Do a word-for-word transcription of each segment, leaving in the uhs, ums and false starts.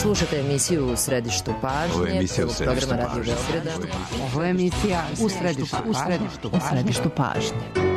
Slušate emisiju U središtu pažnje. Ovo je emisija U središtu pažnje. Ovo je emisija U središtu pažnje. U središtu pažnje.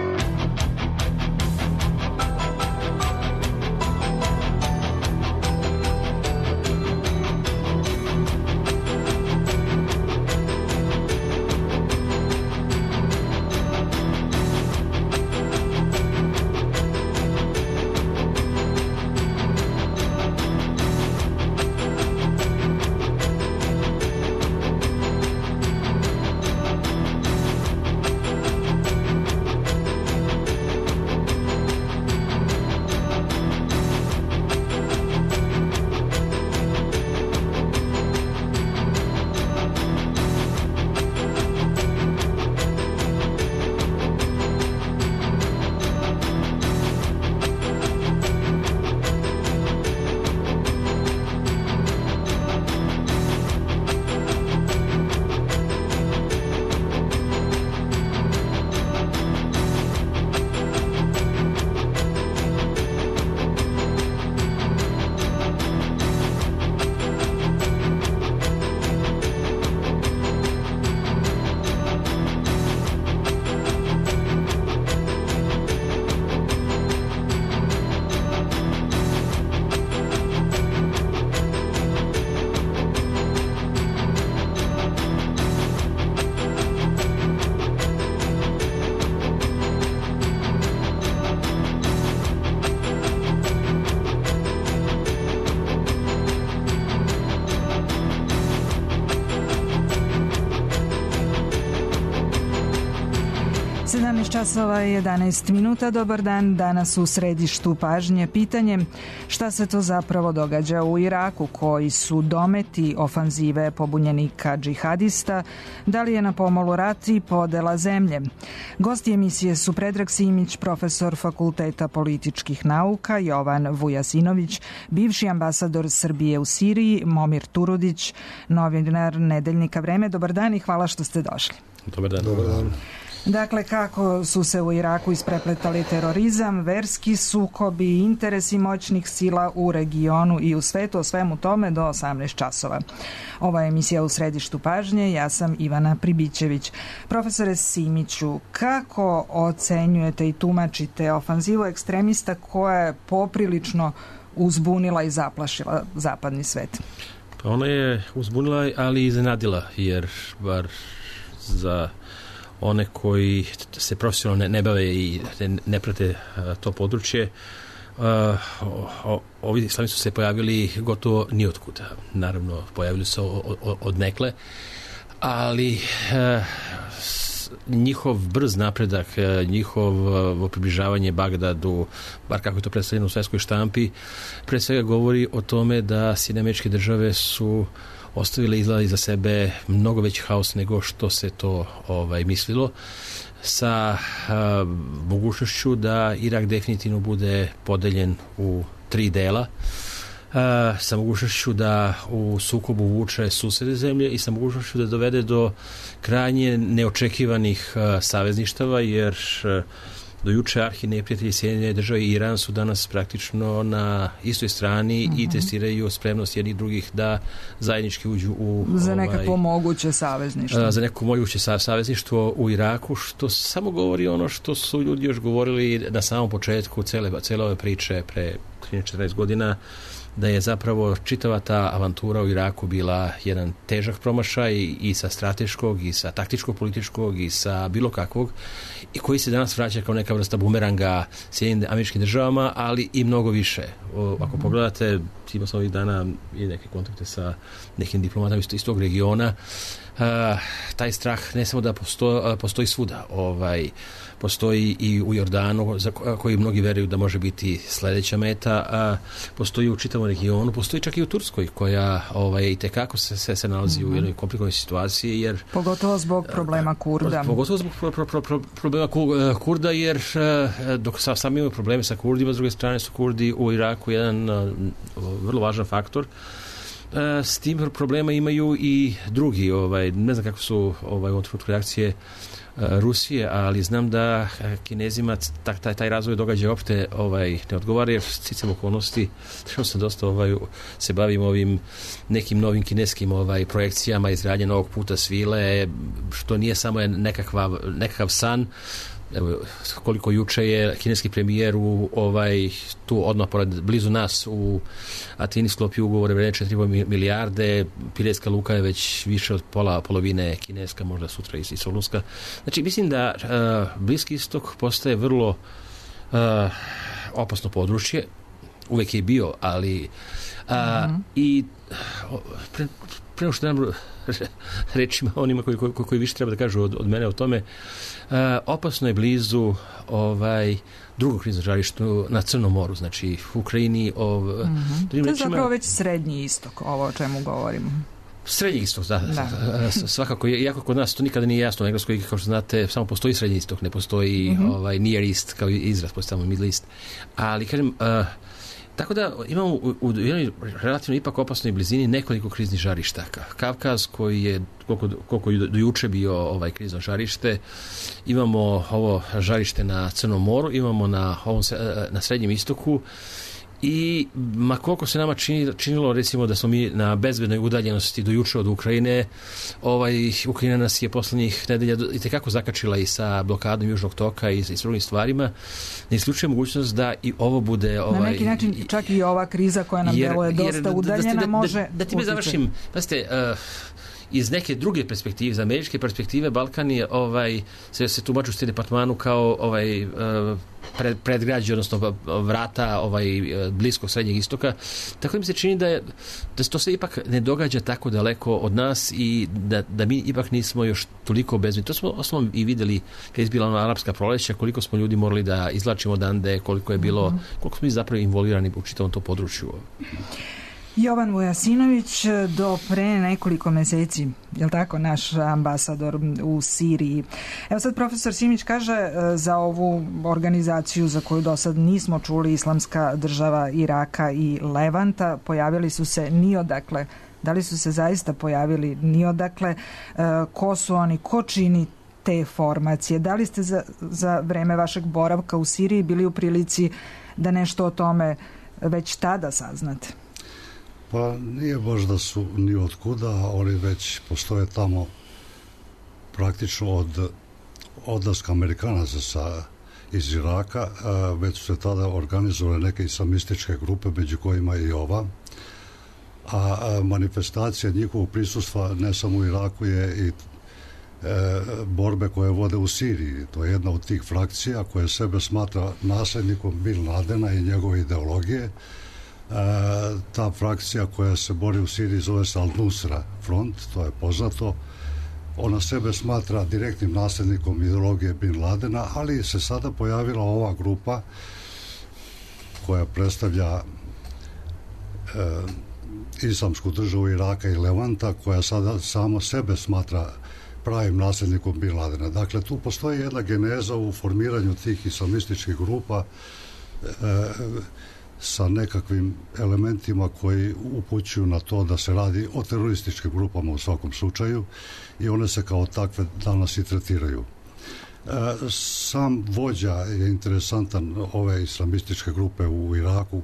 sedamnaest časova i jedanaest minuta. Dobar dan. Danas u središtu pažnje pitanje šta se to zapravo događa u Iraku, koji su dometi ofanzive pobunjenika džihadista, da li je na pomolu rat i podela zemlje. Gosti emisije su Predrag Simić, profesor Fakulteta političkih nauka, Jovan Vujasinović, bivši ambasador Srbije u Siriji, Momir Turudić, novinar nedeljnika Vreme. Dobar dan i hvala što ste došli. Dobar dan. Dobar dan. Dakle, kako su se u Iraku isprepletali terorizam, verski sukobi i interesi moćnih sila u regionu i u svetu, o svemu tome do osamnaest časova. Ova je emisija U središtu pažnje, ja sam Ivana Pribićević. Profesore Simiću, kako ocenjujete i tumačite ofanzivu ekstremista koja je poprilično uzbunila i zaplašila zapadni svet? Pa ona je uzbunila, ali i iznenadila, jer bar za one koji se profesionalno ne, ne bave i ne, ne prate a, to područje, a, o, ovi islami su se pojavili gotovo nijotkuda. Naravno, pojavili su od, od nekle, ali a, s, njihov brz napredak, a, njihovo približavanje Bagdadu, bar kako je to predstavljeno u svetskoj štampi, pre svega govori o tome da Sjedinjene Američke Države su ostavile izgleda iza sebe mnogo veći haos nego što se to ovaj, mislilo, sa a, mogućnošću da Irak definitivno bude podeljen u tri dela, a, sa mogućnošću da u sukobu vuče susede zemlje i sa mogućnošću da dovede do krajnje neočekivanih a, savezništava, jer a, do juče arhi neprijatelji Sjedinjene Države i Iran su danas praktično na istoj strani mm-hmm. i testiraju spremnost jednih drugih da zajednički uđu u za ovaj, nekakvo moguće savezništvo. Za nekako moguće savezništvo u Iraku, što samo govori ono što su ljudi još govorili na samom početku cele, cele ove priče pre trinaest četrnaest godina, da je zapravo čitava ta avantura u Iraku bila jedan težak promašaj i sa strateškog i sa taktičkog, političkog i sa bilo kakvog, i koji se danas vraća kao neka vrsta bumeranga Sjedinjenim Američkim Državama, ali i mnogo više. O, ako mm-hmm. pogledate, imao sam ovih dana i neke kontakte sa nekim diplomatama iz tog regiona, Uh, taj strah ne samo da posto, uh, postoji svuda, ovaj, postoji i u Jordanu, za koji mnogi veruju da može biti sledeća meta, a postoji u čitavom regionu, postoji čak i u Turskoj, koja ovaj, i tekako se, se, se nalazi mm-hmm. u jednoj komplikovanoj situaciji, jer pogotovo zbog problema Kurda. Pogotovo zbog pro, pro, pro, pro, problema Kurda, jer dok sa, sami imaju probleme sa Kurdima, s druge strane su Kurdi u Iraku jedan uh, vrlo važan faktor. s tim problema imaju i drugi, ovaj, ne znam kako su ovaj, u trenutku reakcije Rusije, ali znam da Kinezima taj, taj razvoj događaja opšte ovaj, ne odgovara, jer sticam okolnosti, što sam dosta ovaj, se bavim ovim nekim novim kineskim ovaj, projekcijama izgradnje novog puta svile, što nije samo nekakva, nekakav san. Evo, koliko juče je kineski premijer u ovaj, tu odmah pored, blizu nas u Atini sklopio ugovore vredne četiri milijarde, Piretska luka je već više od pola, polovine kineska, možda sutra i Solunska. Znači, mislim da uh, Bliski istok postaje vrlo uh, opasno područje, uvek je bio, ali uh, mm-hmm. i pre, pre što nam rečima onima koji, koji, koji više treba da kažu od, od mene o tome, uh, opasno je blizu ovaj, drugog kriznog žarišta na Crnom moru, znači u Ukrajini. Ov, mm-hmm. To je rečima, zapravo već srednji istok, ovo o čemu govorimo. Srednji istok, da. da. Svakako, iako kod nas to nikada nije jasno. U Engleskoj, kao što znate, samo postoji srednji istok, ne postoji mm-hmm. ovaj, Near East, kao izraz, postoji samo Middle East. Ali, kažem, uh, tako da imamo u, u jednoj relativno ipak opasnoj blizini nekoliko kriznih žarišta. Kavkaz, koji je koliko, koliko do juče bio ovaj krizno žarište, imamo ovo žarište na Crnom moru, imamo na, ovom, na Srednjem istoku i ma koliko se nama čini, činilo recimo da smo mi na bezbednoj udaljenosti do juče od Ukrajine, ovaj, Ukrajina nas je poslednjih nedelja itekako zakačila i sa blokadom Južnog toka i sa drugim stvarima. Ne isključuje mogućnost da i ovo bude... Ovaj, na neki način čak i ova kriza koja nam deluje dosta jer, udaljena da, da, može... Da, da ti me završim, pazite, uh, iz neke druge perspektive, iz američke perspektive, Balkan je ovaj, se, se tumači u stil departmanu kao ovaj, pred, predgrađe, odnosno vrata ovaj, bliskog Srednjeg istoka. Tako da mi se čini da, je, da se to sve ipak ne događa tako daleko od nas i da, da mi ipak nismo još toliko bezbedni. To smo osnovno i videli kad je izbila ona arapska proleća, koliko smo ljudi morali da izlačimo odande, koliko je bilo, koliko smo mi zapravo involvirani u čitavom to području. Jovan Vujasinović, do pre nekoliko meseci, je li tako, naš ambasador u Siriji. Evo sad profesor Simić kaže za ovu organizaciju za koju do sad nismo čuli, Islamska država Iraka i Levanta, pojavili su se ni odakle. Da li su se zaista pojavili ni odakle? Ko su oni? Ko čini te formacije? Da li ste za, za vreme vašeg boravka u Siriji bili u prilici da nešto o tome već tada saznate? Pa nije baš da su ni od kuda, oni već postoje tamo praktično od odlaska Amerikanaca sa, iz Iraka, već su se tada organizovale neke islamističke grupe, među kojima i ova, a manifestacija njihovog prisustva ne samo u Iraku je i e, borbe koje vode u Siriji. To je jedna od tih frakcija koja sebe smatra nasljednikom Bin Ladena i njegove ideologije. E, ta frakcija koja se bori u Siriji zove se Al-Nusra front, to je poznato. Ona sebe smatra direktnim nasljednikom ideologije Bin Ladena, ali se sada pojavila ova grupa koja predstavlja e, Islamsku državu Iraka i Levanta, koja sada samo sebe smatra pravim nasljednikom Bin Ladena. Dakle, tu postoji jedna geneza u formiranju tih islamističkih grupa e, sa nekakvim elementima koji upućuju na to da se radi o terorističkim grupama u svakom slučaju i one se kao takve danas i tretiraju. E, sam vođa je interesantan ove islamističke grupe u Iraku,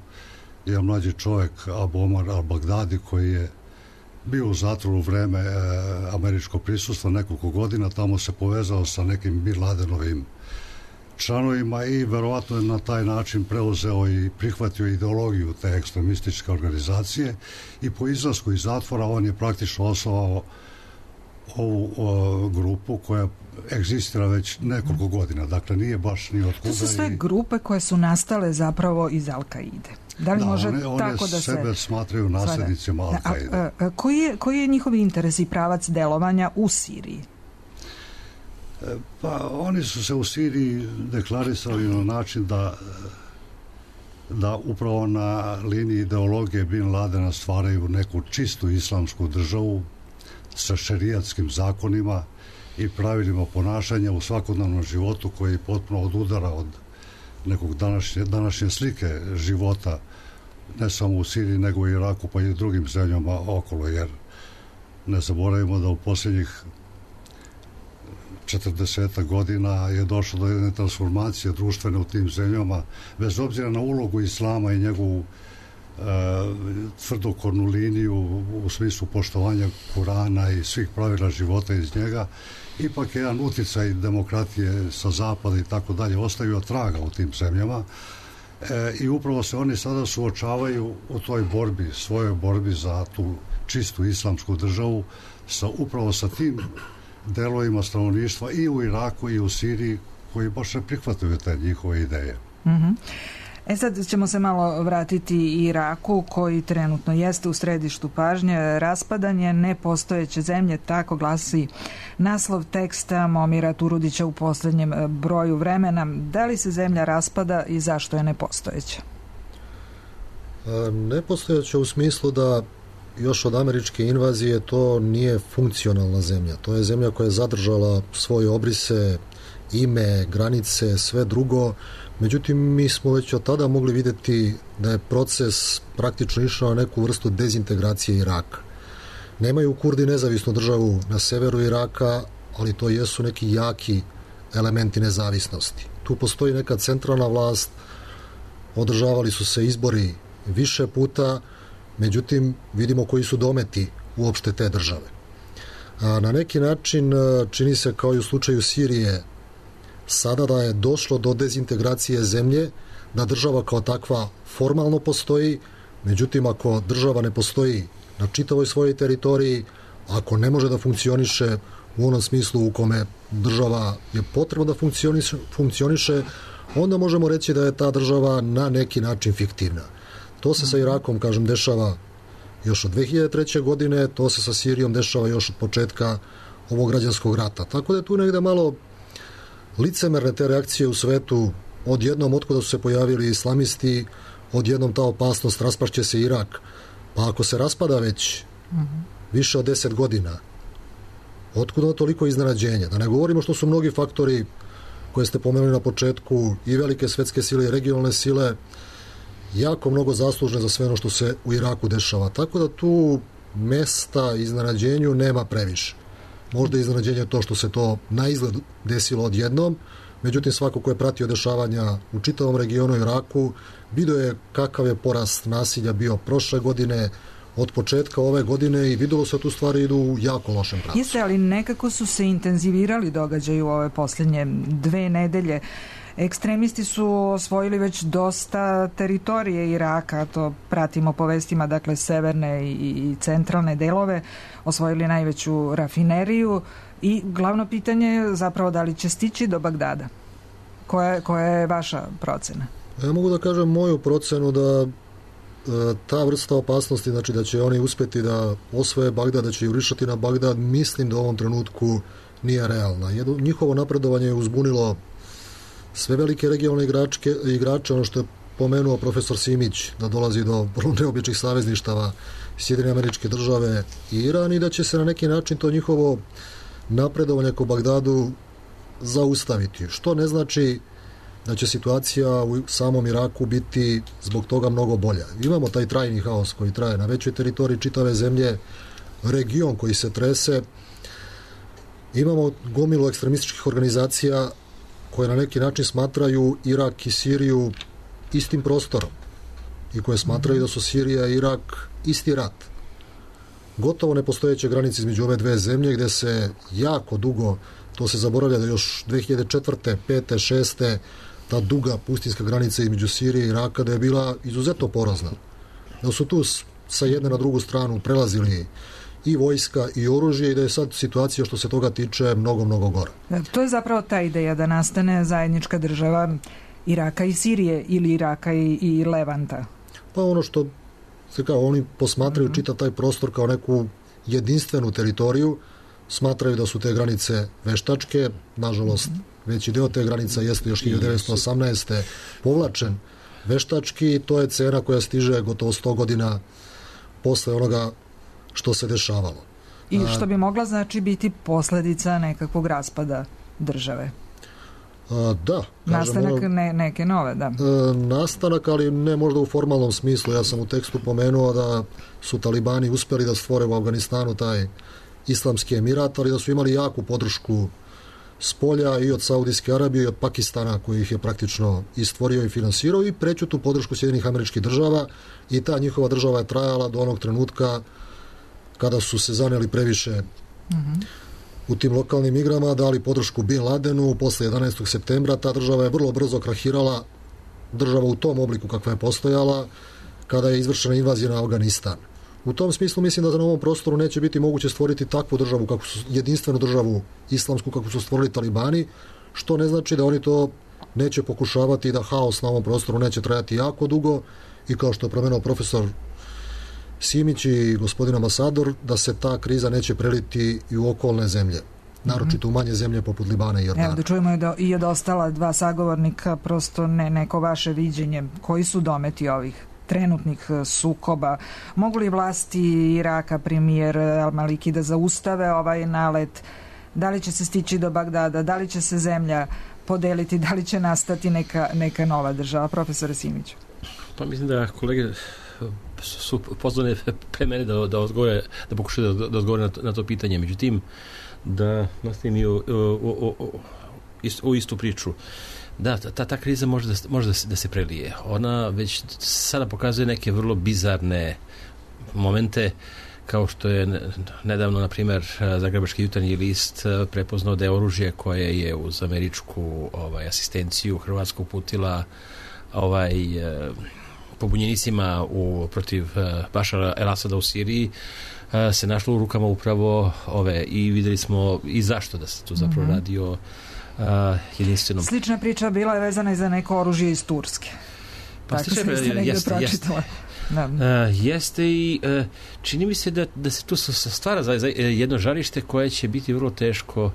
je mlađi čovjek Abu Omar al-Baghdadi koji je bio u zatvoru u vreme e, američkog prisustva nekoliko godina, tamo se povezao sa nekim Bin Ladenovim članovima i verovatno je na taj način preuzeo i prihvatio ideologiju te ekstremističke organizacije i po izlasku iz zatvora on je praktično osnovao ovu o, grupu koja egzistira već nekoliko godina. Dakle, nije baš ni od kuda. To su sve i... grupe koje su nastale zapravo iz Al-Kaide. Da li da, može one, one tako da se... sebe smatraju nasljednicima Al-Kaide. Koji je, koji je njihov interes i pravac delovanja u Siriji? Pa oni su se u Siriji deklarisali na način da da upravo na liniji ideologije Bin Ladena stvaraju neku čistu islamsku državu sa šerijatskim zakonima i pravilima ponašanja u svakodnevnom životu koji potpuno odudara od nekog današnje, današnje slike života ne samo u Siriji, nego u Iraku, pa i drugim zemljama okolo, jer ne zaboravimo da u posljednjih četrdeset godina je došlo do jedne transformacije društvene u tim zemljama, bez obzira na ulogu islama i njegovu e, tvrdokornu liniju u smislu poštovanja Kurana i svih pravila života iz njega. Ipak je jedan uticaj demokratije sa zapada i tako dalje ostavio traga u tim zemljama. E, i upravo se oni sada suočavaju u toj borbi, svojoj borbi za tu čistu islamsku državu, sa, upravo sa tim delovima stanovništva i u Iraku i u Siriji koji baš ne prihvataju te njihove ideje. Mm-hmm. E sad ćemo se malo vratiti i Iraku, koji trenutno jeste u središtu pažnje. Raspadanje nepostojeće zemlje, tako glasi naslov teksta Momira Turudića u posljednjem broju vremena. Da li se zemlja raspada i zašto je nepostojeća? Nepostojeća u smislu da još od američke invazije to nije funkcionalna zemlja. To je zemlja koja je zadržala svoje obrise, ime, granice, sve drugo. Međutim, mi smo već od tada mogli vidjeti da je proces praktično išao na neku vrstu dezintegracije Iraka. Nemaju Kurdi nezavisnu državu na severu Iraka, ali to jesu neki jaki elementi nezavisnosti. Tu postoji neka centralna vlast, održavali su se izbori više puta, međutim, vidimo koji su dometi uopšte te države. A na neki način čini se kao i u slučaju Sirije, sada da je došlo do dezintegracije zemlje, da država kao takva formalno postoji, međutim, ako država ne postoji na čitavoj svojoj teritoriji, ako ne može da funkcioniše u onom smislu u kome država je potrebno da funkcioniše, funkcioniše, onda možemo reći da je ta država na neki način fiktivna. To se sa Irakom, kažem, dešava još od dve hiljade treće. godine, to se sa Sirijom dešava još od početka ovog građanskog rata. Tako da je tu negde malo licemerne te reakcije u svetu, odjednom otkuda su se pojavili islamisti, odjednom ta opasnost, raspašće se Irak. Pa ako se raspada već mm-hmm. više od deset godina, otkuda toliko iznenađenja? Da ne govorimo što su mnogi faktori koje ste pomenuli na početku, i velike svetske sile i regionalne sile, jako mnogo zaslužne za sve ono što se u Iraku dešava. Tako da tu mesta iznenađenju nema previše. Možda iznenađenje to što se to na izgled desilo odjednom, međutim svako ko je pratio dešavanja u čitavom regionu Iraku, vidio je kakav je porast nasilja bio prošle godine, od početka ove godine, i videlo se tu stvari idu u jako lošem pravcu. Jeste, ali nekako su se intenzivirali događaji u ove posljednje dve nedelje. Ekstremisti su osvojili već dosta teritorije Iraka, to pratimo po vestima, dakle severne i centralne delove, osvojili najveću rafineriju i glavno pitanje je zapravo da li će stići do Bagdada. Koja, koja je vaša procena? Ja mogu da kažem moju procenu da ta vrsta opasnosti, znači da će oni uspjeti da osvoje Bagdad, da će jurišati na Bagdad, mislim da u ovom trenutku nije realna. Jedno, njihovo napredovanje je uzbunilo sve velike regionalne igračke, igrače, ono što je pomenuo profesor Simić, da dolazi do vrlo neobičnih savezništava Sjedinjene Američke Države i Iran, i da će se na neki način to njihovo napredovanje ko Bagdadu zaustaviti. Što ne znači da će situacija u samom Iraku biti zbog toga mnogo bolja. Imamo taj trajni haos koji traje na većoj teritoriji čitave zemlje, region koji se trese, imamo gomilu ekstremističkih organizacija koje na neki način smatraju Irak i Siriju istim prostorom i koje smatraju da su Sirija i Irak isti rat. Gotovo nepostojeće granice između ove dve zemlje, gde se jako dugo, to se zaboravlja da još dve hiljade četvrte, pete, šeste ta duga pustinska granica između Sirije i Iraka, da je bila izuzetno porazna. Da su tu sa jedne na drugu stranu prelazili i vojska i oružje, i da je sad situacija što se toga tiče mnogo, mnogo gora. To je zapravo ta ideja da nastane zajednička država Iraka i Sirije ili Iraka i, i Levanta. Pa ono što se kao oni posmatraju mm-hmm. čitav taj prostor kao neku jedinstvenu teritoriju, smatraju da su te granice veštačke, nažalost mm-hmm. veći deo te granica jeste još hiljadu devetsto osamnaeste. povlačen veštački, to je cena koja stiže gotovo sto godina posle onoga što se dešavalo. I što bi mogla znači biti posljedica nekakvog raspada države? A, da. Nastanak kažem, ne, neke nove, da. E, nastanak, ali ne možda u formalnom smislu. Ja sam u tekstu pomenuo da su talibani uspeli da stvore u Afganistanu taj islamski emirat, ali da su imali jaku podršku s polja i od Saudijske Arabije i od Pakistana, koji ih je praktično i stvorio i finansirao, i preću tu podršku Sjedinjenih Američkih Država, i ta njihova država je trajala do onog trenutka kada su se zaneli previše mm-hmm. u tim lokalnim igrama, dali podršku Bin Ladenu. Posle jedanaestog septembra ta država je vrlo brzo krahirala, država u tom obliku kakva je postojala, kada je izvršena invazija na Afganistan. U tom smislu mislim da na ovom prostoru neće biti moguće stvoriti takvu državu, kako su, jedinstvenu državu islamsku kako su stvorili talibani, što ne znači da oni to neće pokušavati, da haos na ovom prostoru neće trajati jako dugo, i kao što je promenuo profesor Simić i gospodin ambasador, da se ta kriza neće preliti i u okolne zemlje, naročito u manje zemlje poput Libana i Jordana. Evo da čujemo i, do, i od ostala dva sagovornika, prosto ne, neko vaše viđenje, koji su dometi ovih trenutnih sukoba. Mogu li vlasti Iraka, premijer Al-Maliki, da zaustave ovaj nalet? Da li će se stići do Bagdada? Da li će se zemlja podeliti? Da li će nastati neka, neka nova država? Profesore Simiću. Pa mislim da kolege su pozvane pre mene da, da odgovore, da pokušaju da, da odgovore na to, na to pitanje. Međutim, da nastavim i u, u, u, u istu priču. Da, ta, ta kriza može, da, može da, se, da se prelije. Ona već sada pokazuje neke vrlo bizarne momente, kao što je nedavno, na primjer, Zagrebački jutarnji list prepoznao da je oružje koje je uz američku ovaj, asistenciju Hrvatsku uputila ovaj, pobunjenicima u, protiv Bašara el-Asada u Siriji, se našlo u rukama upravo ove, i videli smo i zašto da se tu zapravo mm-hmm. radi o Uh, jedinstvenom. Slična priča bila je vezana i za neko oružje iz Turske. Pa tako se negdje jeste, pročitala. Jeste. Uh, jeste i uh, čini mi se da, da se tu stvara za, za jedno žarište koje će biti vrlo teško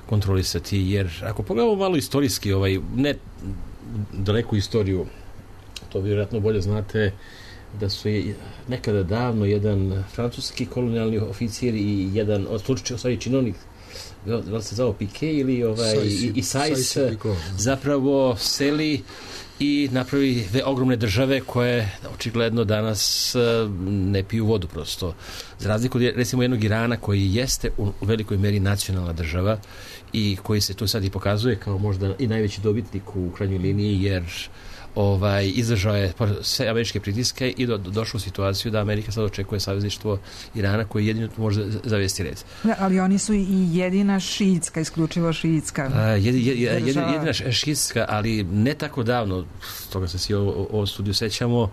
kontrolisati, jer ako pogledamo malo istorijski, ovaj, ne daleku istoriju, to vjerojatno bolje znate, da su je nekada davno jedan francuski kolonijalni oficir i jedan od slučaja činovnik, da li se zvao Pike ili ovaj, Sajs, i, i Sajs, Sajs zapravo seli i napravi dve ogromne države koje očigledno danas ne piju vodu prosto. Za razliku od recimo jednog Irana koji jeste u velikoj meri nacionalna država i koji se tu sad i pokazuje kao možda i najveći dobitnik u krajnjoj liniji, jer ovaj, izdržao je sve američke pritiske i do, došao u situaciju da Amerika sad očekuje savezništvo Irana koji jedino može zavesti red. Da, ali oni su i jedina šiitska, isključivo šiitska. A, jed, jed, jed, jedina šiitska, ali ne tako davno, toga se svi o studiju sećamo,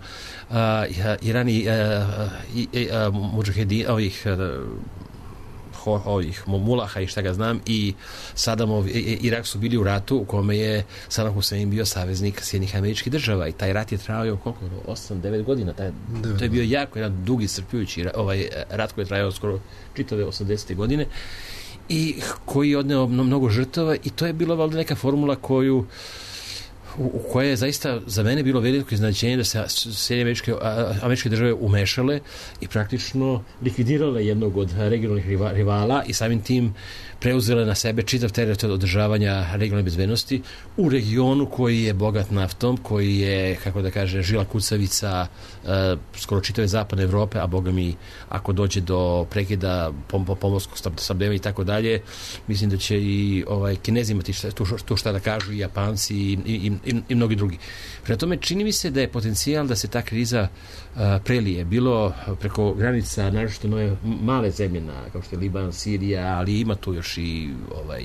a, Iran i, a, i, a, muđahedin, ovih a, ovih Mulaha i šta ga znam, i Sadamov Irak su bili u ratu u kome je Saddam Hussein bio saveznik Sjedinjenih Američkih Država, i taj rat je trajao koliko? osam devet godina. Taj, to je bio jako jedan dugi, iscrpljujući ovaj rat koji je trajao skoro čitave osamdesete godine i koji je odneo mnogo žrtava, i to je bila valjda neka formula koju u koje je zaista za mene bilo veliko iznenađenje da se Sjedinjene američke, američke države umešale i praktično likvidirale jednog od regionalnih rivala i samim tim preuzele na sebe čitav teret održavanja regionalne bezbednosti u regionu koji je bogat naftom, koji je, kako da kaže, žila kucavica uh, skoro čitave zapadne Evrope, a boga mi, ako dođe do prekida pom pomorskog snabdevanja i tako dalje, mislim da će i ovaj, Kinezi imati šta, tu, tu šta da kažu, i Japanci i, i, i, i mnogi drugi. Prema tome, čini mi se da je potencijal da se ta kriza uh, prelije, bilo preko granica, naročito nove male zemlje, na, kao što je Liban, Sirija, ali ima tu još i ovaj,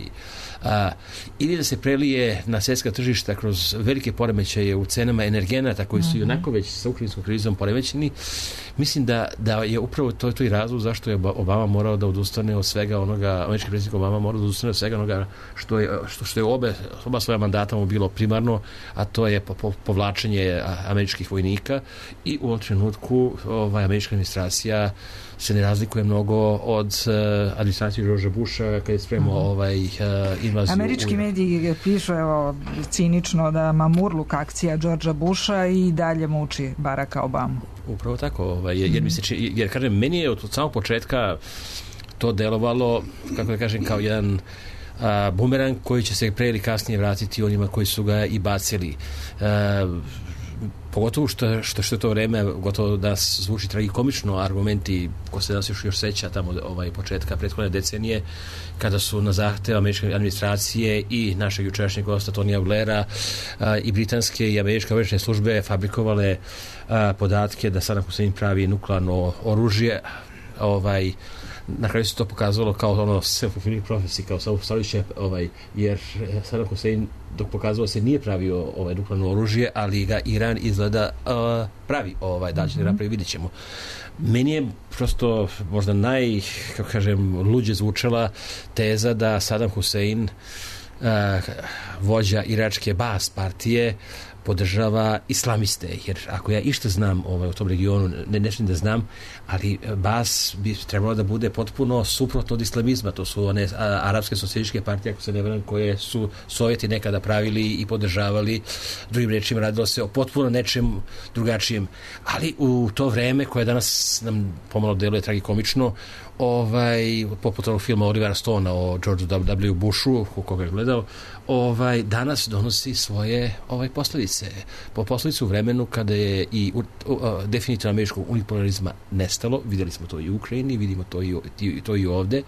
a, ili da se prelije na svjetska tržišta kroz velike poremećaje u cenama energenata koji su i onako već sa ukrajinskom krizom poremećeni. Mislim da, da je upravo to, to i razlog zašto je Obama morao da odustane od svega onoga, američki predsjednik Obama morao da odustane od svega onoga što je, što, što je obe, oba svoja mandata mu bilo primarno, a to je po, po, povlačenje američkih vojnika, i u ovom trenutku ovaj, američka administracija se ne razlikuje mnogo od uh, administracije Georgea Busha kad je spremao mm-hmm. ovaj, uh, invaziju. Američki u... mediji pišu, evo, cinično da mamurluk akcija Georgea Busha i dalje muči Baracka Obama. Upravo tako, ovaj, jer, jer, mi se, jer kažem, meni je od samog početka to delovalo, kako da kažem, kao jedan a, bumerang koji će se pre ili kasnije vratiti onima koji su ga i bacili. A, pogotovo što, što, što je to vreme gotovo da zvuči tragikomično, argumenti ko se nas još, još seća tamo ovaj, početka prethodne decenije kada su na zahtev američke administracije i našeg jučerašnjeg gosta Tonija Blaira a, i britanske i američke obavještajne službe fabrikovale a, podatke da Saddam Hussein pravi nuklearno oružje. Ovaj, na kraju se to pokazalo kao ono self-fulfilling prophecy, kao samopostavljuće, ovaj, jer Saddam Hussein dok pokazalo se nije pravio ovaj nuklearno oružje, ali ga Iran izgleda uh, pravi, ovaj, da će mm-hmm. napravi, vidjet ćemo. Meni je prosto možda naj, kako kažem, luđe zvučala teza da Saddam Hussein, uh, vođa iračke Baas partije, podržava islamiste, jer ako ja išta znam ovaj, u tom regionu, ne nešto da znam, ali Baas bi trebalo da bude potpuno suprotno od islamizma. To su one a, arapske socijalističke partije, ako se ne varam, koje su Sovjeti nekada pravili i podržavali. Drugim rečima, radilo se o potpuno nečem drugačijem. Ali u to vreme, koje danas nam pomalo deluje tragikomično, ovaj, poput ovog filma Olivera Stona o George W. Bushu, koga je gledao, ovaj, danas donosi svoje ovaj, posljedice. Po posljedicu u vremenu kada je i u, u, uh, definitivno američkog unipolarizma nestalo, vidjeli smo to i u Ukrajini, vidimo to i, i, to i ovde,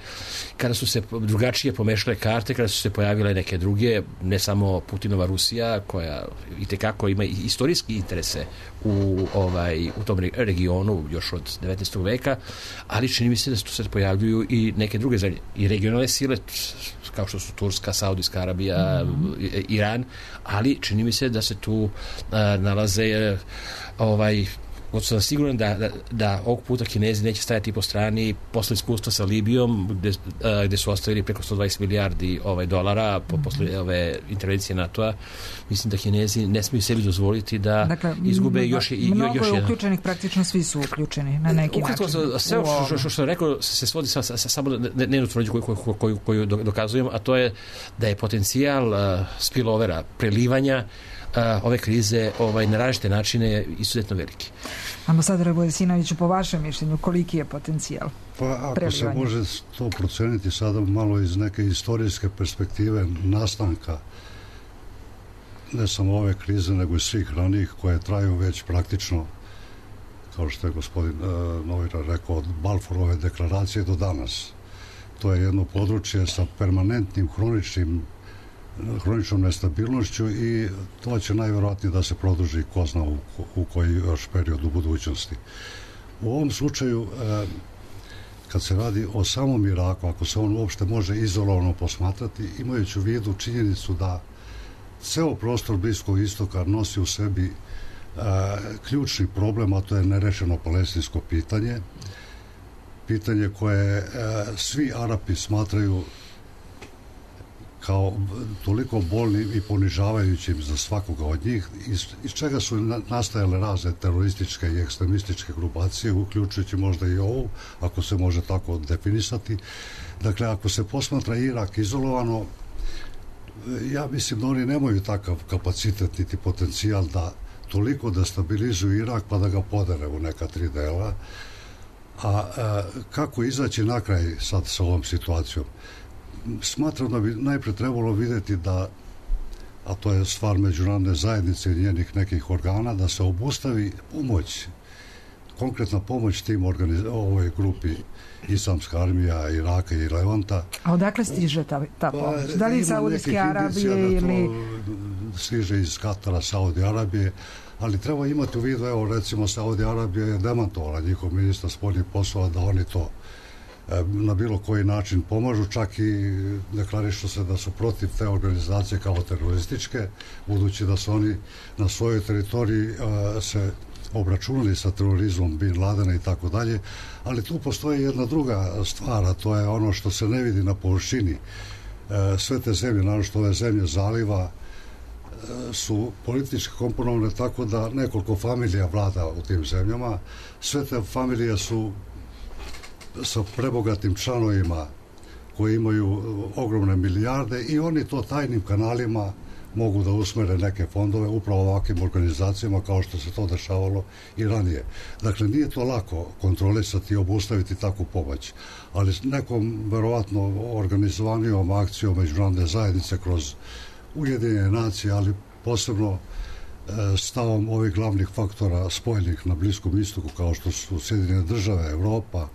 kada su se drugačije pomešale karte, kada su se pojavile neke druge, ne samo Putinova Rusija, koja itekako ima istorijski interese u, ovaj, u tom regionu još od devetnaestog veka, ali čini mi se da se pojavljuju i neke druge zemlje i regionalne sile kao što su Turska, Saudijska Arabija, mm-hmm. Iran, ali čini mi se da se tu uh, nalaze uh, ovaj god sam siguran da, da, da ovog puta Kinezi neće stajati po strani posle iskustva sa Libijom gde, uh, gde su ostavili preko sto dvadeset milijardi ovaj, dolara po, mm-hmm. posle ove intervencije NATO-a. Mislim da Kinezi ne smiju sebi dozvoliti da dakle, izgube još, i, mnogo još je jedan. Praktično praktično svi su uključeni na neki Ukratko, način. Sve što, što, što rekao se svodi sa, sa, sa samo na jednu tvrdnju koju, koju, koju, koju dokazujem, a to je da je potencijal uh, spillovera, prelivanja Uh, ove krize ovaj, na različite načine izuzetno veliki. Ambasadore Vujasinoviću, po vašem mišljenju, koliki je potencijal Pa ako prelivanja? Se može to proceniti sada malo iz neke istorijske perspektive nastanka ne samo ove krize, nego i svih ranijih koje traju već praktično, kao što je gospodin uh, Novira rekao, od Balfourove deklaracije do danas. To je jedno područje sa permanentnim hroničnim hroničnom nestabilnošću i to će najvjerojatnije da se produži ko zna u, u koji još period u budućnosti. U ovom slučaju, eh, kad se radi o samom Iraku, ako se on uopšte može izolovano posmatrati, imajući u vidu činjenicu da ceo prostor Bliskog istoka nosi u sebi eh, ključni problem, a to je nerešeno palestinsko pitanje, pitanje koje eh, svi Arapi smatraju kao toliko bolnim i ponižavajućim za svakoga od njih, iz, iz čega su nastajale razne terorističke i ekstremističke grupacije, uključujući možda i ovu, ako se može tako definisati. Dakle, ako se posmatra Irak izolovano, ja mislim da oni nemaju takav kapacitet niti potencijal da toliko destabilizuju Irak pa da ga podere u neka tri dela. A, a kako izaći na kraj sad sa ovom situacijom? Smatram da bi najpre trebalo vidjeti da, a to je stvar međunarodne zajednice i njenih nekih organa, da se obustavi pomoć, konkretna pomoć tim organiz... ovoj grupi Islamska armija Iraka i Levanta. A odakle stiže ta, ta pomoć? Da li iz Saudijske Arabije ili... Stiže iz Katara, Saudi Arabije, ali treba imati u vidu, evo recimo Saudi Arabija je demantovala njihov ministar spoljnih poslova da oni to na bilo koji način pomažu, čak i deklarišu se da su protiv te organizacije kao terorističke, budući da su oni na svojoj teritoriji uh, se obračunali sa terorizmom Bin Ladena i tako dalje, ali tu postoji jedna druga stvar, a to je ono što se ne vidi na površini. Uh, sve te zemlje, naročito ove zemlje zaliva, uh, su politički komponovane tako da nekoliko familija vlada u tim zemljama. Sve te familije su sa prebogatim članovima koji imaju ogromne milijarde i oni to tajnim kanalima mogu da usmere neke fondove upravo ovakvim organizacijama kao što se to dešavalo i ranije. Dakle, nije to lako kontrolisati i obustaviti takvu pomoć, ali nekom verovatno organizovanijom akcijom međunarodne zajednice kroz Ujedinjene nacije, ali posebno stavom ovih glavnih faktora spojenih na Bliskom istoku, kao što su Sjedinjene države, Evropa,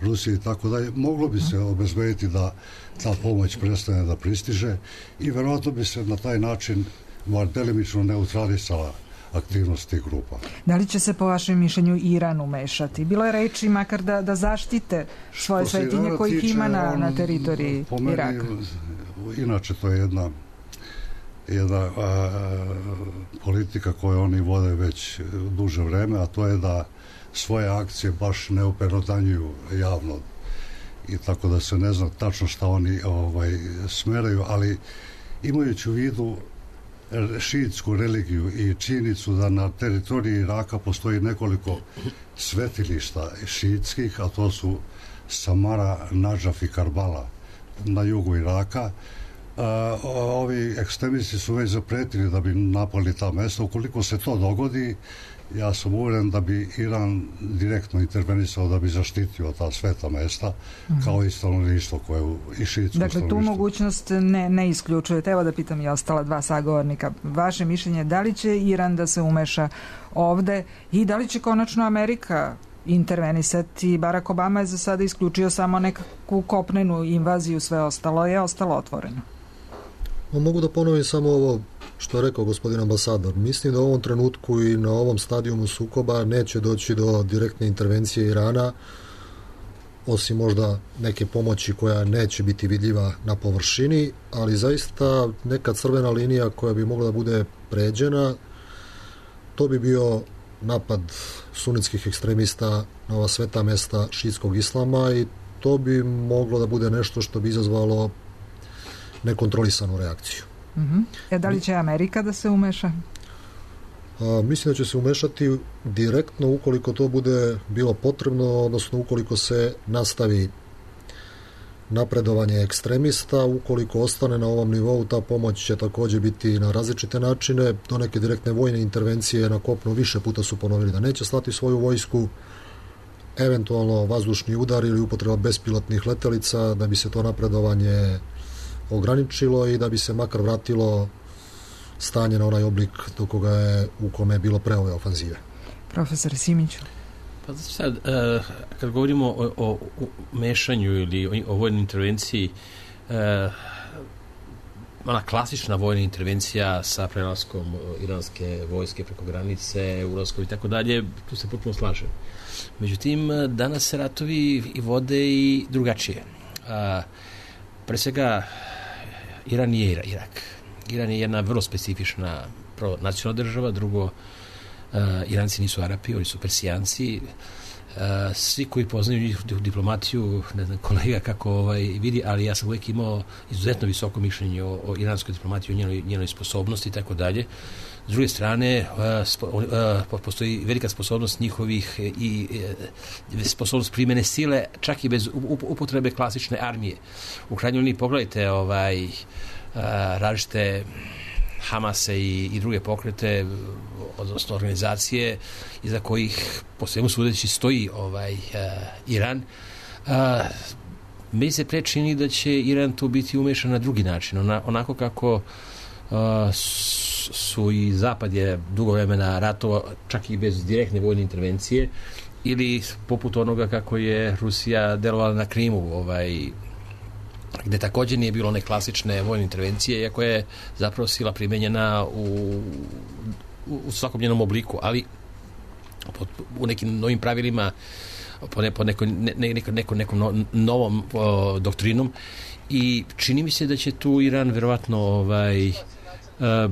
Rusija i tako dalje, moglo bi se obezbediti da ta pomoć prestane da pristiže i verovatno bi se na taj način bar delimično neutralisala aktivnost tih grupa. Da li će se po vašem mišljenju Iran umešati? Bilo je reči makar da, da zaštite svoje svetinje kojih ima na, na teritoriji po meni, Iraka. Inače to je jedna jedna a, politika koju oni vode već duže vreme, a to je da svoje akcije baš ne operotanjuju javno i tako da se ne zna tačno šta oni ovaj, smeraju, ali imajući u vidu šiitsku religiju i činjenicu da na teritoriji Iraka postoji nekoliko svetilišta šiitskih, a to su Samara, Nadžaf i Karbala na jugu Iraka. Uh, ovi ekstremisti su već zapretili da bi napali ta mesta. Ukoliko se to dogodi, ja sam uveren da bi Iran direktno intervenisao da bi zaštitio ta sveta mesta, mm-hmm. kao i stanovništvo koje u i šiitsko Dakle, tu mogućnost ne, ne isključujete. Evo da pitam i ostala dva sagovornika. Vaše mišljenje, da li će Iran da se umeša ovde i da li će konačno Amerika intervenisati? Barack Obama je za sada isključio samo nekakvu kopnenu invaziju, sve ostalo je ostalo otvoreno. Mogu da ponovim samo ovo što je rekao gospodin ambasador. Mislim da u ovom trenutku i na ovom stadijumu sukoba neće doći do direktne intervencije Irana, osim možda neke pomoći koja neće biti vidljiva na površini, ali zaista neka crvena linija koja bi mogla da bude pređena, to bi bio napad sunitskih ekstremista na ova sveta mesta šiitskog islama i to bi moglo da bude nešto što bi izazvalo nekontrolisanu reakciju. Mm-hmm. E, da li će Amerika da se umeša? A, mislim da će se umešati direktno ukoliko to bude bilo potrebno, odnosno ukoliko se nastavi napredovanje ekstremista, ukoliko ostane na ovom nivou, ta pomoć će također biti na različite načine. Do neke direktne vojne intervencije na kopnu više puta su ponovili da neće slati svoju vojsku, eventualno vazdušni udar ili upotreba bespilotnih letelica da bi se to napredovanje ograničilo i da bi se makar vratilo stanje na onaj oblik do koga je, u kome je bilo pre ove ofanzive. Profesor Simić. Pa sad, uh, kad govorimo o, o, o mešanju ili o, o vojnoj intervenciji, uh, ona klasična vojna intervencija sa prelaskom iranske vojske preko granice, ulaskom i tako dalje, tu se potpuno slažem. Međutim, danas se ratovi i vode i drugačije. Uh, pre svega, Iran nije Irak. Iran je jedna vrlo specifična nacionalna država, drugo, Uh, Iranci nisu Arapi, oni su Persijanci. Uh, svi koji poznaju njihovu diplomatiju, ne znam kolega kako ovaj, vidi, ali ja sam uvijek imao izuzetno visoko mišljenje o, o iranskoj diplomatiji, o njenoj, njenoj sposobnosti i tako dalje. S druge strane, uh, spo, uh, postoji velika sposobnost njihovih i uh, sposobnost primjene sile, čak i bez upotrebe klasične armije. U krajnjoj liniji pogledajte ovaj, uh, različite Hamase i, i druge pokrete, odnosno organizacije iza kojih po svemu sudeći stoji ovaj uh, Iran. Uh, mi se prečini da će Iran tu biti umešan na drugi način, ona, onako kako uh, su i Zapad je dugo vremena ratovao čak i bez direktne vojne intervencije, ili poput onoga kako je Rusija delovala na Krimu, ovaj, gde također nije bilo one klasične vojne intervencije, iako je zapravo sila primenjena u, u, u svakom njenom obliku, ali po, u nekim novim pravilima, po, ne, po nekoj, ne, neko, neko, nekom no, novom o, doktrinom, i čini mi se da će tu Iran verovatno ovaj, a,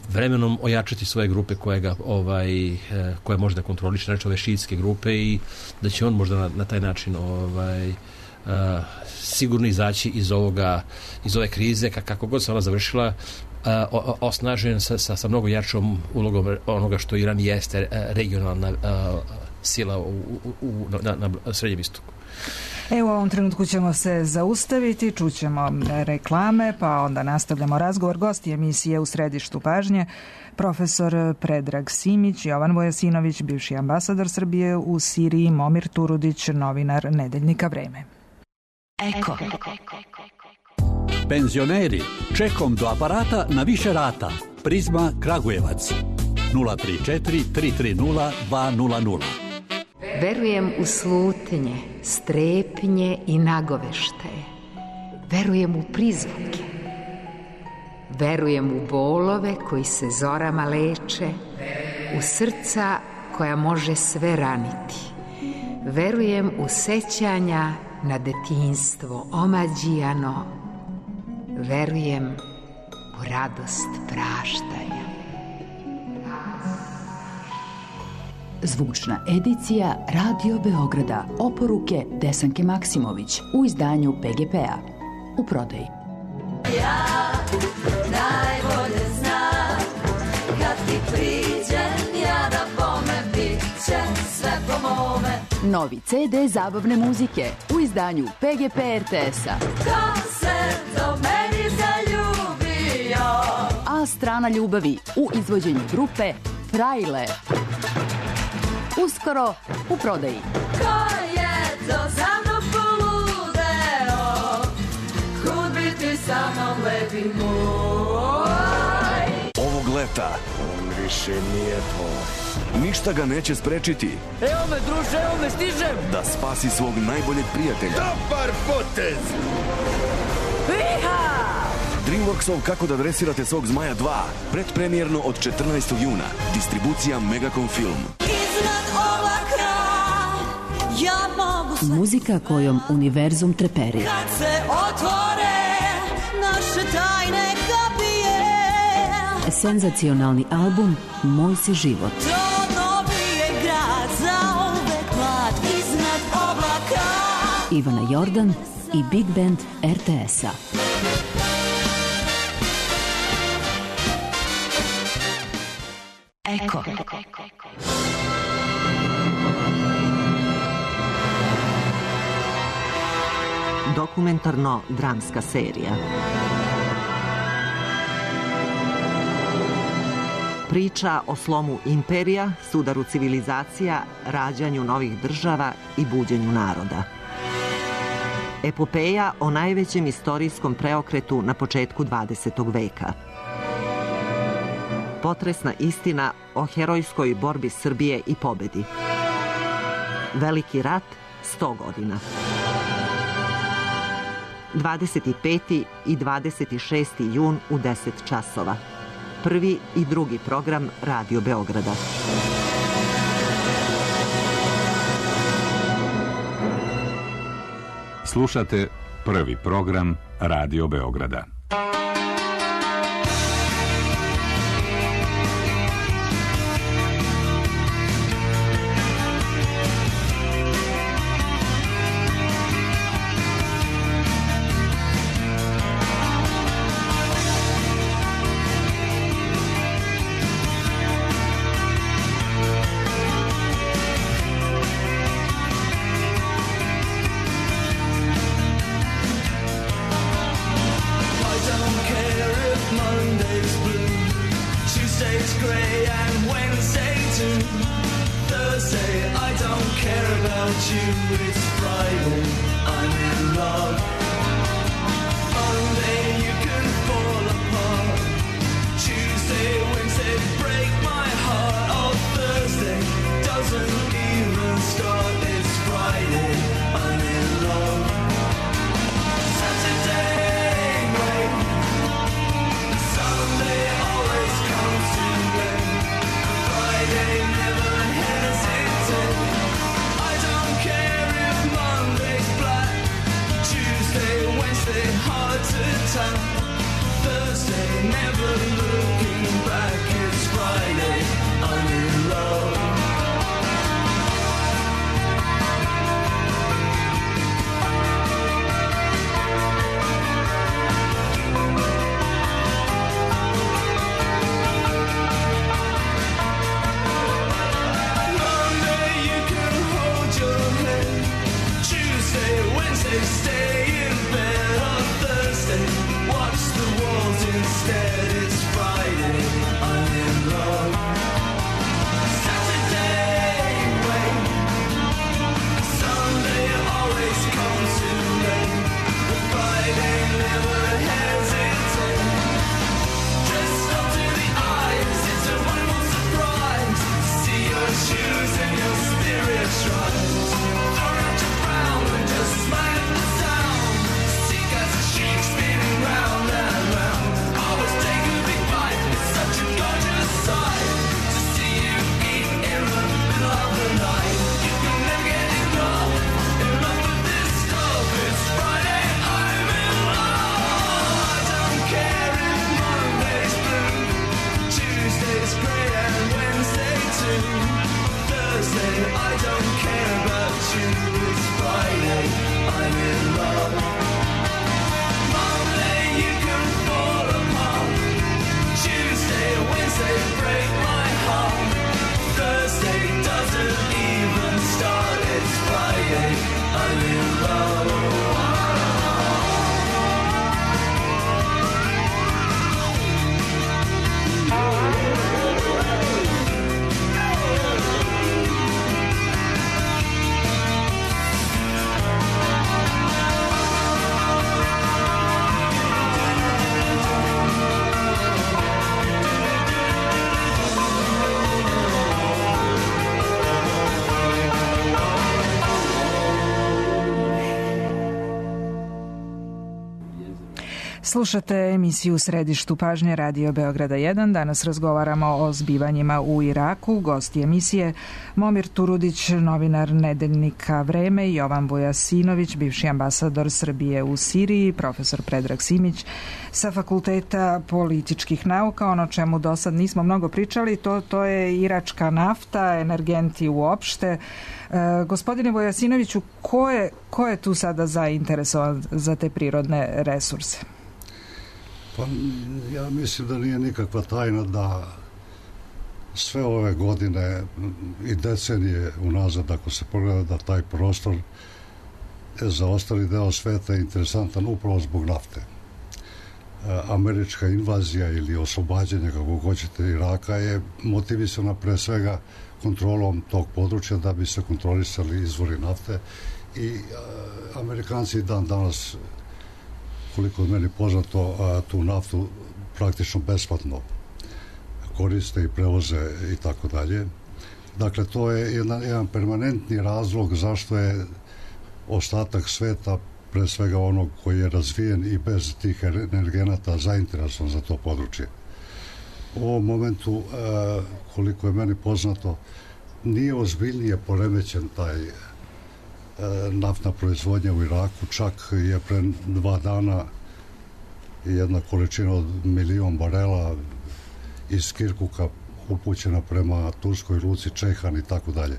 vremenom ojačati svoje grupe koje ga ovaj, koje može da kontroliše, znači ove šiitske grupe, i da će on možda na, na taj način ovaj, Uh, sigurno izaći iz ovoga, iz ove krize, kako god se ona završila, uh, o, osnažen sa, sa, sa mnogo jačom ulogom onoga što Iran jeste, uh, regionalna uh, sila u, u, u, na, na Srednjem istoku. E, u ovom trenutku ćemo se zaustaviti, čućemo reklame, pa onda nastavljamo razgovor. Gosti emisije U središtu pažnje, profesor Predrag Simić, Jovan Vojasinović, bivši ambasador Srbije u Siriji, Momir Turudić, novinar Nedeljnika Vreme. Eko. Penzioneri, čekom do aparata na više rata. Prizma Kragujevac. nula tri četiri tri tri nula dva nula nula. Verujem u slutnje, strepnje i nagoveštaje. Verujem u prizvuke. Verujem u bolove koji se zorama leče, u srca koja može sve raniti. Verujem u sećanja na detinjstvo omađijano. Verujem u radost praštanja. Zvučna edicija Radio Beograda. Oporuke Desanke Maksimović u izdanju P G P-a. U prodaji. Ja najbolje znam kad ti priđem ja da bome bit će sve po mome. Novi C D zabavne muzike u izdanju P G P R T S-a. Ko se do meni zaljubio? A strana ljubavi u izvođenju grupe Frajle. Uskoro u prodaji. Ko je to za mnom poludeo? Kud bi ti sa mnom lepi moj? Ovog leta on više nije tvoj. Ništa ga neće sprečiti. Evo me, druže, evo me, stižem! Da spasi svog najboljeg prijatelja. Dobar potez! Iha! Dreamworksov Kako da dresirate svog zmaja dva. Predpremijerno od četrnaestog juna. Distribucija Megacom Film. Ja mogu sve. Muzika kojom univerzum treperi. Kad se otvore naše tajne kapije. Senzacionalni album Moj si život. To novi je grad za uvek mlad iznad oblaka. Ivana Jordan i Big Band R T S-a. Eko. Dokumentarno-dramska serija. Priča o slomu imperija, sudaru civilizacija, rađanju novih država i buđenju naroda. Epopeja o najvećem istorijskom preokretu na početku dvadesetog veka. Potresna istina o herojskoj borbi Srbije i pobedi. Veliki rat, sto godina. dvadeset peti i dvadeset šesti jun u deset časova. Prvi i drugi program Radio Beograda. Slušate prvi program Radio Beograda. Never hesitate. I don't care if Slušate emisiju u središtu pažnje Radio Beograda jedan. Danas razgovaramo o zbivanjima u Iraku. Gosti emisije Momir Turudić, novinar nedeljnika Vreme, i Jovan Vujasinović, bivši ambasador Srbije u Siriji, profesor Predrag Simić sa Fakulteta političkih nauka. Ono čemu do sad nismo mnogo pričali, to, to je iračka nafta, energenti uopšte. E, gospodine Vujasinoviću, ko je, ko je tu sada zainteresovan za te prirodne resurse? Pa ja mislim da nije nikakva tajna da sve ove godine i decenije unazad, ako se pogleda, da taj prostor za ostali deo sveta je interesantan upravo zbog nafte. Američka invazija ili oslobađanje, kako hoćete, Iraka je motivisana pre svega kontrolom tog područja da bi se kontrolisali izvori nafte i Amerikanci dan danas, koliko je meni poznato, tu naftu praktično besplatno koriste i prevoze i tako dalje. Dakle, to je jedan, jedan permanentni razlog zašto je ostatak sveta, pre svega onog koji je razvijen i bez tih energenata, zainteresovan za to područje. U ovom momentu, koliko je meni poznato, nije ozbiljnije poremećen taj naftna proizvodnja u Iraku. Čak je pre dva dana jedna količina od milion barela iz Kirkuka upućena prema turskoj luci Čehan i tako dalje.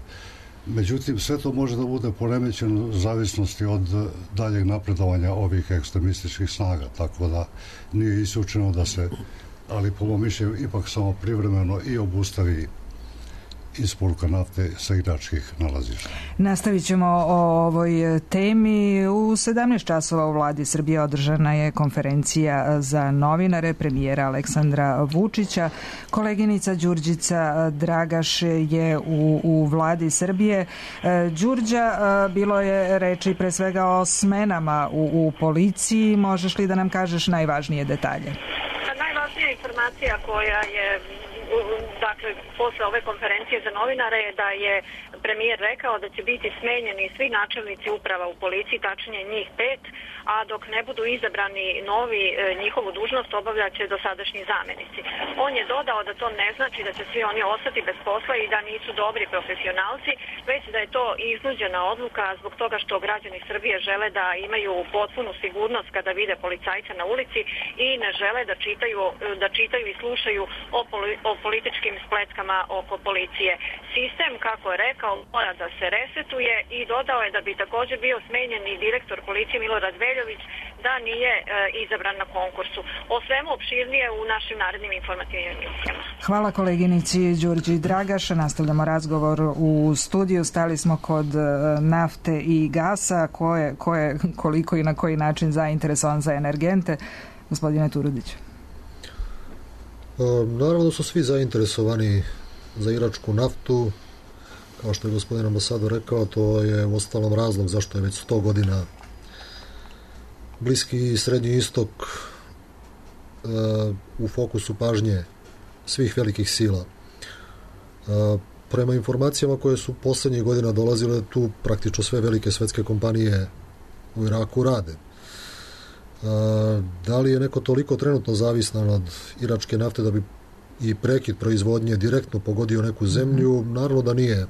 Međutim, sve to može da bude poremećeno u zavisnosti od daljeg napredovanja ovih ekstremističkih snaga, tako da nije isključeno da se, ali po mom mišljenju, ipak samo privremeno i obustavi isporuka nafte sa iračkih nalazišta. Nastavit ćemo o ovoj temi. U sedamnaest časova u vladi Srbije održana je konferencija za novinare premijera Aleksandra Vučića. Koleginica Đurđica Dragaš je u, u vladi Srbije. Đurđa, bilo je reči pre svega o smenama u, u policiji. Možeš li da nam kažeš najvažnije detalje? Najvažnija informacija koja je dakle, posle ove konferencije za novinare je da je premijer rekao da će biti smenjeni svi načelnici uprava u policiji, tačnije njih pet, a dok ne budu izabrani novi, njihovu dužnost obavljat će dosadašnji zamenici. On je dodao da to ne znači da će svi oni ostati bez posla i da nisu dobri profesionalci, već da je to iznuđena odluka zbog toga što građani Srbije žele da imaju potpunu sigurnost kada vide policajca na ulici i ne žele da čitaju, da čitaju i slušaju o, poli, o političkim spletkama oko policije. Sistem, kako je rekao, mora da se resetuje i dodao je da bi također bio smenjen i direktor policije Milorad Veljović da nije e, izabran na konkursu. O svemu opširnije u našim narednim informativnim emisijama. Hvala koleginici Đurđi Dragaš. Nastavljamo razgovor u studiju. Stali smo kod nafte i gasa. Ko je, ko je koliko i na koji način zainteresovan za energente? Gospodine Turudić. Naravno su svi zainteresovani za iračku naftu. Kao što je gospodin ambasador rekao, to je u ostalom razlog zašto je već sto godina Bliski i Srednji istok u fokusu pažnje svih velikih sila. Prema informacijama koje su poslednjih godina dolazile, tu praktično sve velike svetske kompanije u Iraku rade. Da li je neko toliko trenutno zavisan od iračke nafte da bi i prekid proizvodnje direktno pogodio neku zemlju? Naravno da nije.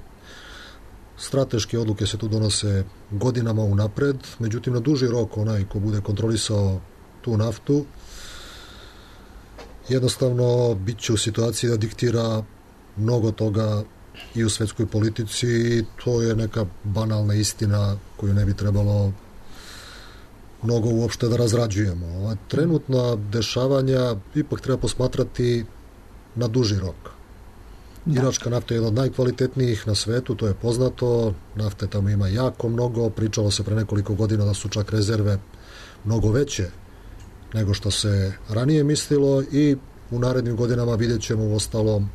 Strateške odluke se tu donose godinama unapred, međutim na duži rok onaj ko bude kontrolisao tu naftu jednostavno bit će u situaciji da diktira mnogo toga i u svetskoj politici i to je neka banalna istina koju ne bi trebalo mnogo uopšte da razrađujemo. Ova trenutna dešavanja ipak treba posmatrati na duži rok. Iračka nafta je jedna od najkvalitetnijih na svetu, to je poznato. Nafte tamo ima jako mnogo. Pričalo se pre nekoliko godina da su čak rezerve mnogo veće nego što se ranije mislilo i u narednim godinama vidjet ćemo u ostalom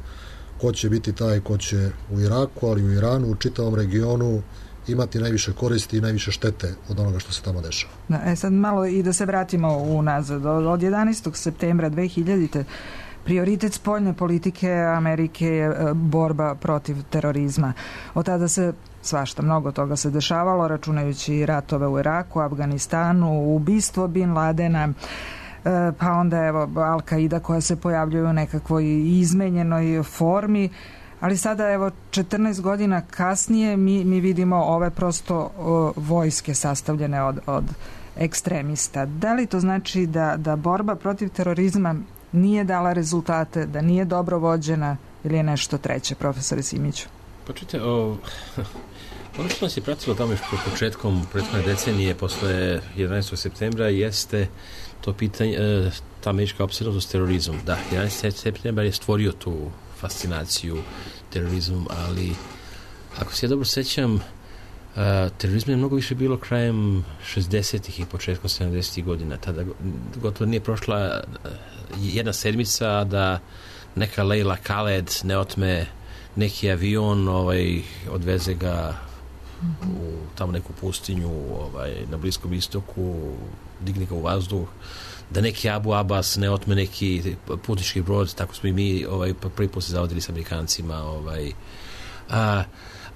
ko će biti taj ko će u Iraku, ali u Iranu, u čitavom regionu imati najviše koristi i najviše štete od onoga što se tamo dešava. Da, e sad malo i da se vratimo unazad. Od jedanaestog septembra dve hiljadite. prioritet spoljne politike Amerike je borba protiv terorizma. Od tada se svašta, mnogo toga se dešavalo, računajući ratove u Iraku, Afganistanu, ubistvo Bin Ladena, pa onda evo Al-Qaida koja se pojavljuje u nekakvoj izmenjenoj formi, ali sada evo četrnaest godina kasnije mi, mi vidimo ove prosto o, vojske sastavljene od, od ekstremista. Da li to znači da, da borba protiv terorizma nije dala rezultate, da nije dobro vođena ili je nešto treće, profesore Simiću? Počujte, o, ono što nas je pratilo tamo još početkom prethodne decenije, posle jedanaestog septembra, jeste to pitanje, ta američka opsednutost s terorizmom. Da, jedanaesti septembar je stvorio tu fascinaciju terorizmom, ali ako se ja dobro sećam, uh, terorizma je mnogo više bilo krajem šezdesetih i početkom sedamdesetih godina. Tada gotovo nije prošla jedna sedmica da neka Leila Khaled ne otme neki avion, ovaj, odveze ga u tamo neku pustinju, ovaj, na Bliskom istoku, digne ga u vazduh, da neki Abu Abbas ne otme neki putnički brod, tako smo i mi ovaj, prvi put se zavodili s Amerikancima. Ovaj. A,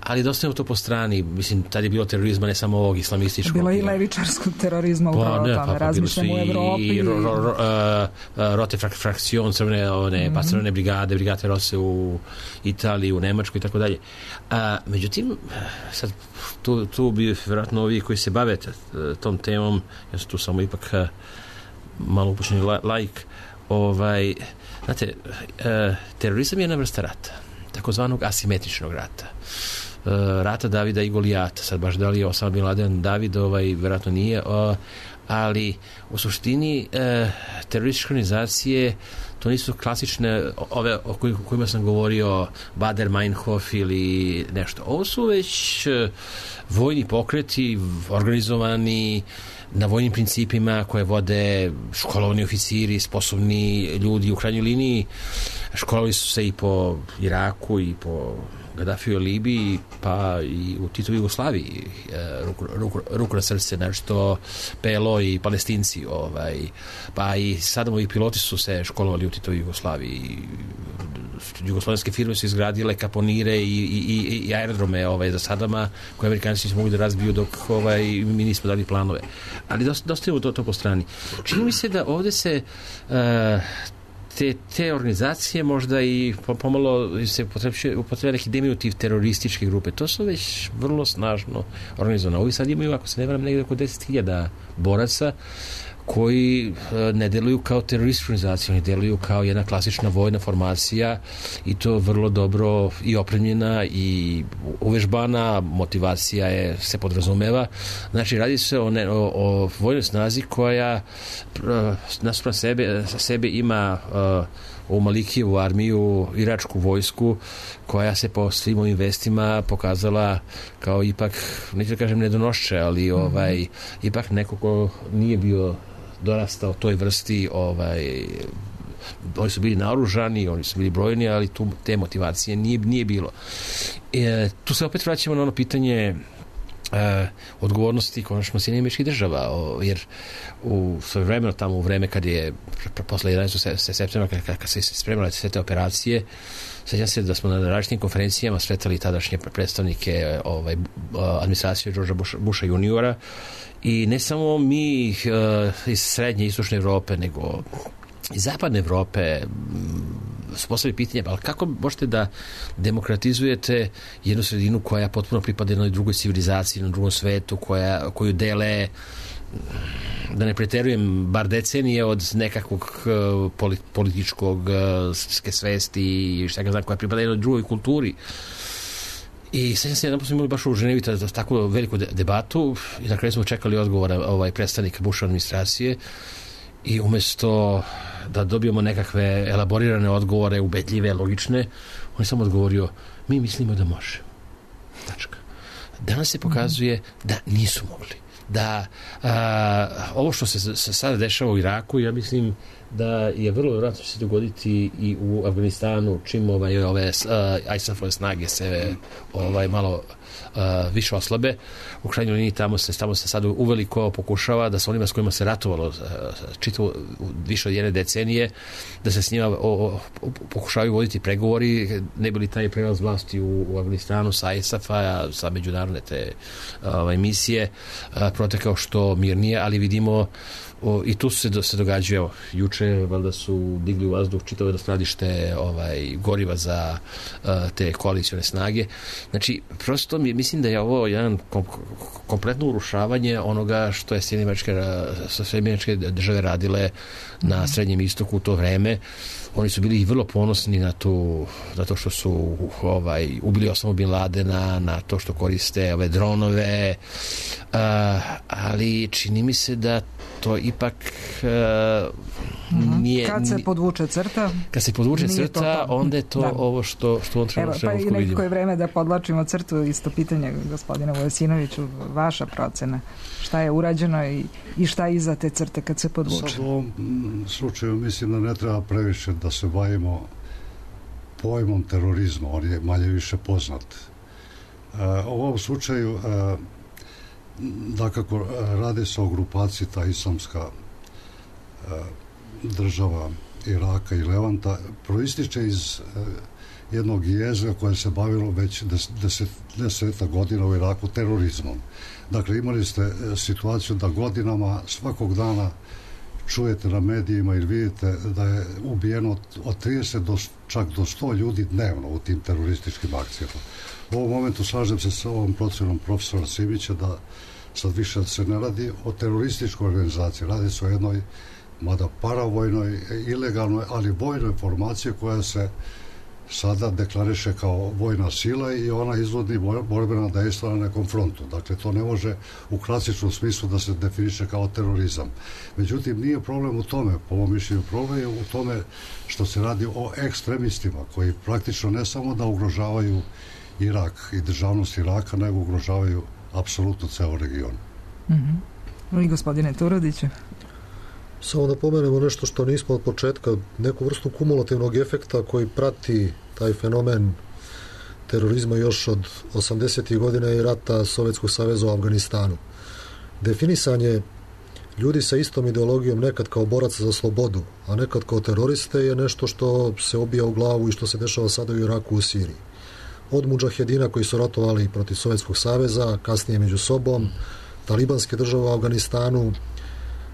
ali dosta je to po strani, mislim, tad je bilo terorizma ne samo ovog islamističkog. Bilo je i levičarskog terorizma upravo o tome, pa, pa, razmišljamo u Evropi. I ro, ro, ro, uh, rote frak, frakcion, crvene, one, mm-hmm. pa crvene brigade, brigade Rose u Italiji, u Nemačkoj i tako dalje. Međutim, sad, tu, tu bi vjerojatno ovi koji se bave tom temom, ja sam tu samo ipak uh, malo upućeni laik, ovaj, znate, uh, terorizam je jedna vrsta rata, takozvanog asimetričnog rata. Uh, rata Davida i Golijata. Sad baš da li je Osama Bin Laden David, ovaj, vjerojatno nije, uh, ali u suštini uh, terorističke organizacije to nisu klasične ove o kojima sam govorio, Bader Meinhof ili nešto. Ovo su već uh, vojni pokreti organizovani na vojnim principima koje vode školovani oficiri, sposobni ljudi. U krajnjoj liniji školovali su se i po Iraku i po Gaddafiju u Libiji, pa i u Titovoj Jugoslaviji, ruku, ruku, ruku na srce, nešto P L O i Palestinci, ovaj, pa i Sadamovi piloti su se školovali u Titovoj Jugoslaviji. Jugoslovenske firme su izgradile kaponire i, i, i aerodrome ovaj, za Sadama, koje Amerikanci su mogli da razbiju dok ovaj, mi nismo dali planove. Ali dosta, dosta je to, to po strani. Čini mi se da ovde se uh, Te, te organizacije možda i pomalo se upotrebuje neki diminutiv terorističke grupe. To su već vrlo snažno organizovane. Ovi sad imaju, ako se ne varam, negdje oko deset hiljada boraca koji ne deluju kao teroristička organizacija, oni deluju kao jedna klasična vojna formacija i to vrlo dobro i opremljena i uvežbana, motivacija je, se podrazumeva. Znači, radi se o, ne, o, o vojnoj snazi koja nasuprot sebe, sebe ima uh, u Malikijevu armiju, iračku vojsku, koja se po svim ovim vestima pokazala kao ipak, neću da kažem nedonošće, ali ovaj, mm-hmm. ipak neko ko nije bio dorastao toj vrsti, ovaj, oni su bili naoružani, oni su bili brojni, ali tu te motivacije nije, nije bilo. E, tu se opet vraćamo na ono pitanje e, odgovornosti konačno Sjedinjenih Američkih Država, o, jer u svoje vremeno, tamo u vreme kad je posle jedanaestog septembra, kad, kad se spremale sve te operacije, sjećam se da smo na različitim konferencijama sretali tadašnje predstavnike ovaj, administracije Georgea Busha, Busha juniora, i ne samo mi uh, iz srednje i istočne Evrope, nego iz zapadne Evrope su postavili pitanje, ali kako možete da demokratizujete jednu sredinu koja potpuno pripada jednoj drugoj civilizaciji, na drugom svetu, koja, koju dele, da ne preterujem, bar decenije od nekakvog uh, političkog uh, svesti i šta ga znam, koja pripada jednoj drugoj kulturi. I sad se jedan put smo imali baš u Ženevi tako veliku debatu i na kraju smo čekali odgovor ovaj, predstavnika Bushove administracije i umjesto da dobijemo nekakve elaborirane odgovore, ubedljive, logične, on je samo odgovorio, mi mislimo da može. Tačka. Danas se pokazuje da nisu mogli. Da a, ovo što se, se sada dešava u Iraku, ja mislim da je vrlo vjerojatno se dogoditi i u Afganistanu, čim ovaj, ove uh, I S A F-ove snage se ovaj, malo uh, više oslabe. U krajnjoj liniji tamo se, tamo se sad uveliko pokušava da sa onima s kojima se ratovalo uh, čitav više od jedne decenije, da se s njima o, o, pokušavaju voditi pregovori, ne bili taj prelaz vlasti u, u Afganistanu sa I S A F-a, sa međunarodne te ovaj, misije, uh, protekao što mirnije, ali vidimo O, i tu se, se događaju. Juče valjda su digli u vazduh čitavo skladište ovaj, goriva za uh, te koalicione snage. Znači, prosto mi, mislim da je ovo jedan kom, kompletno urušavanje onoga što je Sjedinjene države radile na Srednjem istoku u to vreme. Oni su bili vrlo ponosni na, tu, na to što su ovaj, ubili Osama Bin Ladena, na to što koriste ove dronove, uh, ali čini mi se da to ipak uh, nije... Kad se podvuče crta... Kad se podvuče crta, to onda je to da. Ovo što, što on treba Evo, pa i nekako je vreme da podlačimo crtu, isto pitanje gospodina Vujasinoviću, vaša procena. Šta je urađeno i, i šta je iza te crte kad se podvuče? Sad u ovom slučaju mislim da ne treba previše da se bavimo pojmom terorizma, on je manje više poznat. Uh, u ovom slučaju uh, dakako radi se o grupaciji ta islamska uh, država Iraka i Levanta, proističe iz uh, jednog jezgra koje se bavilo već des, deset, deseta godina u Iraku terorizmom. Dakle, imali ste uh, situaciju da godinama svakog dana čujete na medijima ili vidite da je ubijeno od, od trideset do, čak do sto ljudi dnevno u tim terorističkim akcijama. U ovom momentu slažem se sa ovom procenom profesora Simića da sad više se ne radi o terorističkoj organizaciji, radi se o jednoj mada paravojnoj, ilegalnoj, ali vojnoj formaciji koja se sada deklariše kao vojna sila i ona izvodi borbena dejstva na nekom frontu. Dakle, to ne može u klasičnom smislu da se definiše kao terorizam. Međutim, nije problem u tome, po mom mišljenju, problem je u tome što se radi o ekstremistima koji praktično ne samo da ugrožavaju Irak i državnost Iraka, nego ugrožavaju apsolutno ceo region. Mm-hmm. I gospodine Turodiću? Samo da pomenemo nešto što nismo od početka, neku vrstu kumulativnog efekta koji prati taj fenomen terorizma još od osamdesetih godina i rata Sovjetskog saveza u Afganistanu. Definisanje ljudi sa istom ideologijom nekad kao boraca za slobodu, a nekad kao teroriste je nešto što se obija u glavu i što se dešava sada u Iraku, u Siriji. Od mudžahedina koji su ratovali protiv Sovjetskog saveza, kasnije među sobom, talibanske države u Afganistanu,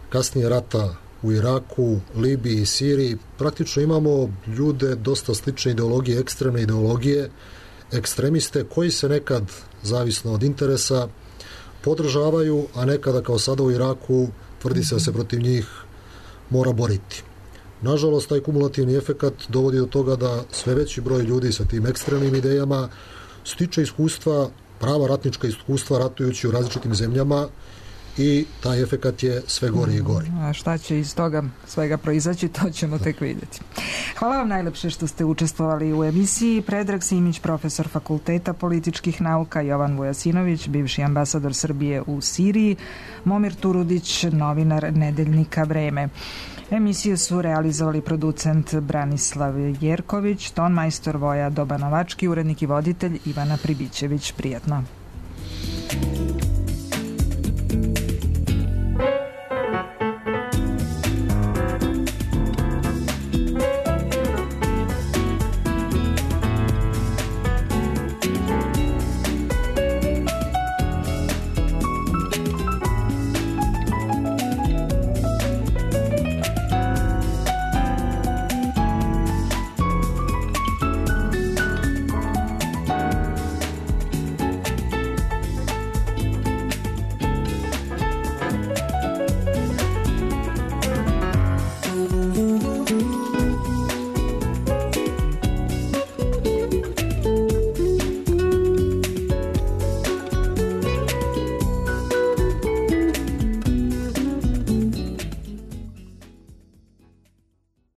kasnije rata u Iraku, Libiji i Siriji, praktično imamo ljude dosta slične ideologije, ekstremne ideologije, ekstremiste koji se nekad, zavisno od interesa, podržavaju, a nekada kao sada u Iraku tvrdi se da se protiv njih mora boriti. Nažalost, taj kumulativni efekat dovodi do toga da sve veći broj ljudi sa tim ekstremnim idejama stiče iskustva, prava ratnička iskustva ratujući u različitim zemljama i taj efekat je sve gori i gori. A šta će iz toga svega proizaći, to ćemo tek vidjeti. Hvala vam najlepše što ste učestvovali u emisiji. Predrag Simić, profesor Fakulteta političkih nauka, Jovan Vujasinović, bivši ambasador Srbije u Siriji, Momir Turudić, novinar Nedeljnika Vreme. Emisiju su realizovali producent Branislav Jerković, ton majstor Voja Dobanovački, urednik i voditelj Ivana Pribićević. Prijatno.